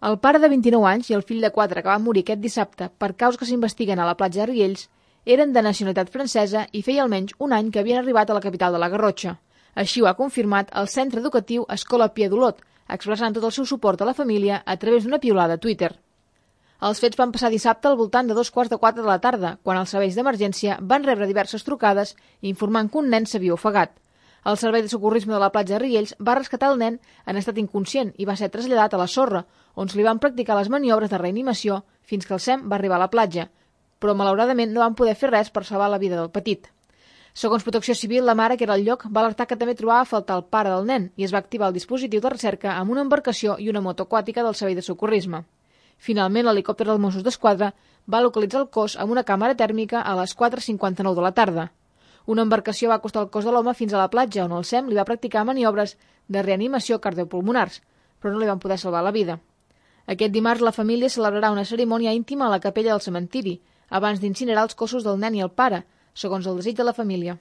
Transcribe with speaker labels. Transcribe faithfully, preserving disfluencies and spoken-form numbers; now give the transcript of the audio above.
Speaker 1: El pare de vint-i-nou anys i el fill de quatre que va morir aquest dissabte per causes que s'investiguen a la platja de Riells eren de nacionalitat francesa i feia almenys un any que havien arribat a la capital de la Garrotxa. Així ho ha confirmat el centre educatiu Escola Pia d'Olot, expressant tot el seu suport a la família a través d'una piulada a Twitter. Els fets van passar dissabte al voltant de dos quarts de quatre de la tarda, quan els serveis d'emergència van rebre diverses trucades informant que un nen s'havia ofegat. El servei de socorrisme de la platja de Riells va rescatar el nen en estat inconscient i va ser traslladat a la sorra, on se li van practicar les maniobres de reanimació fins que el S E M va arribar a la platja, però malauradament no van poder fer res per salvar la vida del petit. Segons Protecció Civil, la mare, que era al lloc, va alertar que també trobava a faltar el pare del nen i es va activar el dispositiu de recerca amb una embarcació i una moto aquàtica del servei de socorrisme. Finalment, l'helicòpter dels Mossos d'Esquadra va localitzar el cos amb una càmera tèrmica a les quatre cinquanta-nou de la tarda. Una embarcació va acostar el cos de l'home fins a la platja, on el S E M li va practicar maniobres de reanimació cardiopulmonars, però no li van poder salvar la vida. Aquest dimarts la família celebrarà una cerimònia íntima a la capella del cementiri, abans d'incinerar els cossos del nen i el pare, segons el desig de la família.